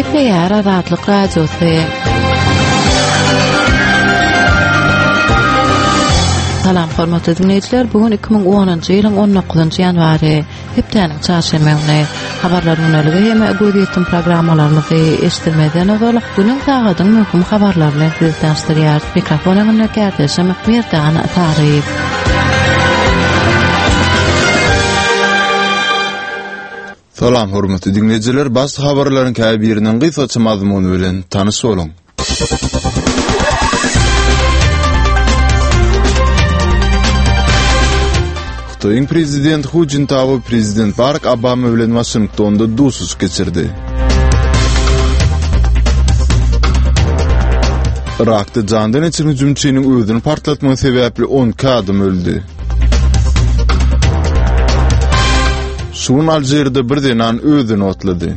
Gepleýär Azatlyk Radiosy. Salam hormatly diňleýjiler, bu gün 2010-njy ýylyň 19-njy ýanwary, hepdäniň çarşenbe güni. Habarlar güneligi hem gözýetim programmalarymyzy eşitdirmezden ozal, günüň sagadyň möhüm habarlary bilen sizi tanyşdyrýarys. Mikrofon öňünde kärdeşim Merdan Saryýew. Salam hormatly diňleýjiler, baş habarlaryň käbiriniň gysgaça mazmuny bilen tanyş boluň. Hytaýyň prezidenti Hu Jintao prezident Barak Obama bilen Waşingtonda duşuşyk geçirdi. Yrakda jandan geçen hüjümçiniň özüni partlatmagy sebäpli 12 adam öldi. Şu gün Alžirde bir zenan özüni otlady.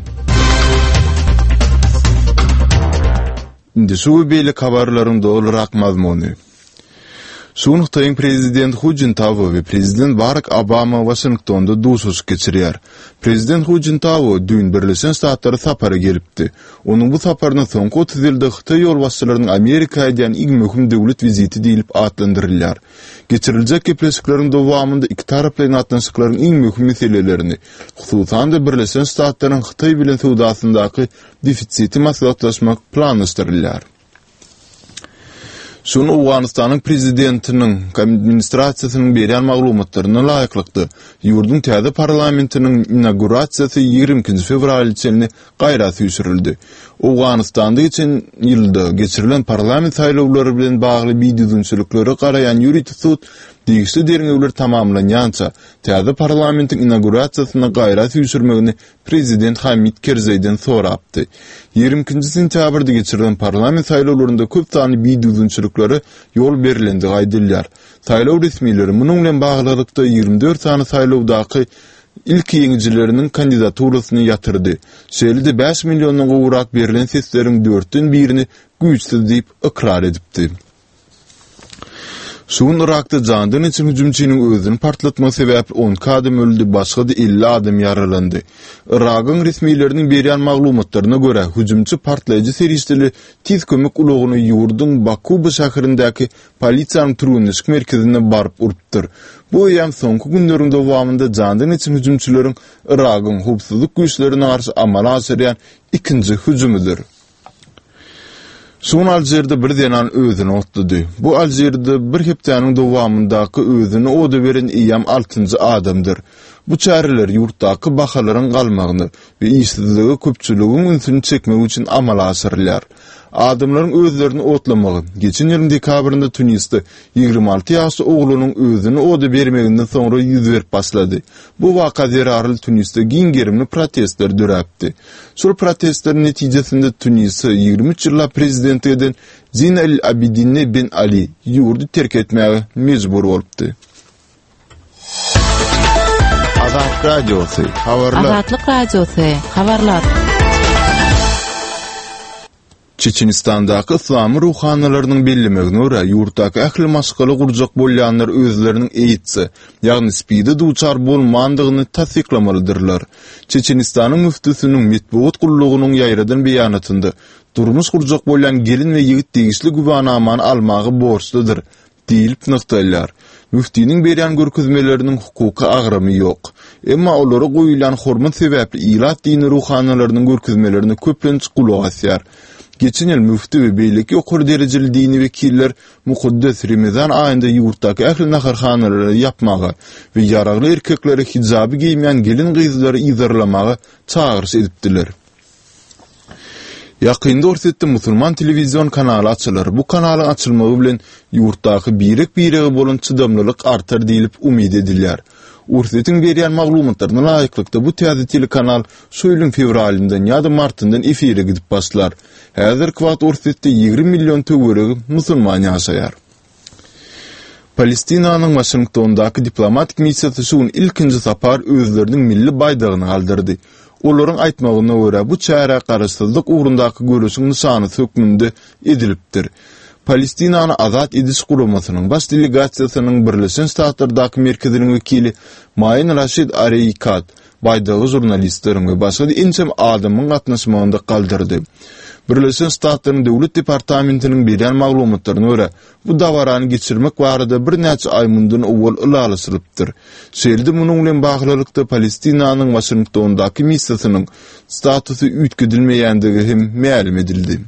Indi şu we beýleki habarlaryň dolurak mazmuny. Şu gün Hytaýyň prezidenti Hu Jintao we prezident Barak Obama Waşingtonda duşuşyk geçirýär. Prezident Hu Jintao düýn Birleşen Ştatlara sapara gelipdi. Onuň bu saparyna soňky 30 ýylda hytaý ýolbaşçylarynyň Amerika edýän iň möhüm döwlet wiziti diýlip atlandyrylýar. Geçiriljek gepleşikleriň dowamynda ikitaraplaýyn gatnaşyklaryň iň möhüm meselelerini, hususan-da Birleşen Ştatlaryň Hytaý bilen söwdasyndaky defisiti maslahatlaşmak planlaşdyrylýar. Şu gün Owganystanyň prezidentiniň administrasiýasynyň berýän maglumatlaryna laýyklykda, ýurduň täze parlamentiniň inaugurasiýasy 22-nji fewraly çenli gaýra süýşürildi. Owganystanda geçen ýylda geçirilen parlament saýlawlary bilen bagly bidüzgünçiliklere garaýan ýörite sud degişli derňewler tamamlanýança, täze parlamentiň inaugurasiýasyny gaýra süýşürmegini prezident Hamid Kerzeýden sorapdy. 22-nji sentýabrda geçirilen parlament saýlawlarynda köp sanly bidüzgünçiliklere ýol berlendigi aýdylýar. Saýlaw resmileri munuň bilen baglylykda 24 sany saýlawdaky ilki ýeňijileriniň kandidaturasyny ýatyrdy. Şeýle-de bäş milliondan gowrak berlen sesleriň dörtden birini güýçsüz diýip ykrar edipdi. Şu gün Yrakda jandan geçen hüjümçiniň özüni partlatmagy sebäpli 12 adam öldi, başga-da 50 adam ýaralandy. Yragyň resmileriniň berýän maglumatlaryna görä, hüjümçi partlaýjy serişdeli tiz kömek ulagyny ýurduň Bakuba şäherindäki polisiýanyň türgenleşik merkezine baryp urupdyr. Bu eýýäm soňky günleriň dowamynda jandan geçen hüjümçileriň Yragyň howpsuzlyk güýçlerine garşy amala aşyrýan ikinji hüjümidir. Şu gün Alžirde bir zenan özüni otlady. Bu Alžirde bir hepdäniň dowamyndaky özüni oda beren eýýäm altynjy adamdyr. Bu çäreler ýurtdaky bahalaryň galmagyny we işsizlige köpçüligiň ünsüni çekmek üçin amala aşyrylýar. Adamlaryň özlerini otlamagy, geçen ýylyň dekabrynda Tunisde 26 ýaşly oglanyň özüni oda bermeginden soňra ýüz berip başlady. Bu waka zerarly Tunisde giň gerimli protestler döräpdi. Şol protestleriň netijesinde Tunise 23 ýyllap prezidentlik eden Zine El Abidine Ben Ali ýurdy terk etmäge mejbur bolupdy. Azat Radiosy, habarlar. Azatlyk Radiosy, habarlar. Çeçenistandaky yslamy ruhanylarynyň bellemegine görä, ýurtdaky ähli maşgala gurjak bolýanlar özleriniň AIDS-e, ýagny SPID-e duçar bolmandygyny tassyklamalydyrlar. Çeçenistanyň müftüsiniň metbugat gullugynyň ýaýradan beýanatynda, Durmuş gurjak bolýan gelin we ýigit degişli güwänamany almaga borçludyr Diýlip nygtalýar. Müftiniň berýän görkezmeleriniň hukuky agramy ýok. Emma olara goýulýan hormat sebäpli ilat dini ruhanylarynyň görkezmelerine köplenç gulak asýar. Geçen ýyl müfti we beýleki ýokary derejeli dini wekiller mukaddes Remezan aýynda ýurtdaky ähli naharhanalary ýapmaga we ýaragly erkekleri hijaby geýmeýän gelin-gyzlary yzarlamaga çagyryş edipdiler. Ýakynda Orsýetde musulman telewizion kanaly açylar. Bu kanalyň açylmagy bilen ýurtdaky birek-birege bolan çydamlylyk artar diýlip umyt edilýär. Orsýetiň berýän maglumatlaryna laýyklykda bu täze telekanal şu ýylyň fewralyndan ýa-da martyndan efire gidip başlar. Häzirki wagt Orsýetde 20 million töweregi musulman ýaşaýar. Palestinanyň Waşingtondaky diplomatik missiýasy şu gün ilkinji sapar özleriniň milli baýdagyny galdyrdy. Olaryň aýtmagyna görä, bu çäre garaşsyzlyk ugrundaky göreşiň nyşanysy hökmünde edilipdir. Palestinany Azat ediş guramasynyň baş delegasiýasynyň Birleşen Ştatlardaky merkeziniň wekili Maýin Raşid Areýkat. Baýdagy žurnalistleriň we başga-da ençeme adamyň gatnaşmagynda galdyrdy. Birleşen Ştatlaryň Döwlet departamentiniň berýän maglumatlaryna görä, bu dabarany geçirmek barada birnäçe aý mundan owal ylalaşylypdyr. Şeýle-de munuň bilen baglylykda Palestinanyň Waşingtondaky missiýasynyň statusy üýtgedilmeýändigi hem mälim edildi.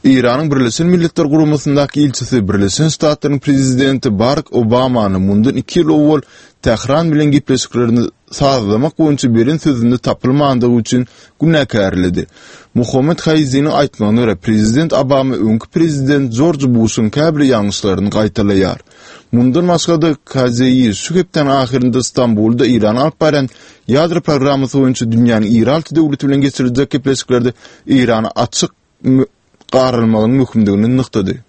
Eýranyň Birleşen Milletler Guramasyndaky ilçisi Birleşen Ştatlaryň prezidenti Barak Obamany mundan iki ýyl owal Tähran bilen gepleşiklerini sazlamak boýunça beren sözünde tapylmandygy üçin günäkärledi. Muhammet Haýziniň aýtmagyna görä, prezident Obama öňki prezident Jorj Buşuň käbir ýalňyşlaryny gaýtalaýar. Mundan başga-da, KZI şu hepdäniň ahyrynda Stambulda Eýranyň alyp barýan ýadro programmasy boýunça dünýäniň iri alty döwleti bilen geçiriljek gepleşiklerde Eýrana açyk garalmagynyň möhümdigini nygtady.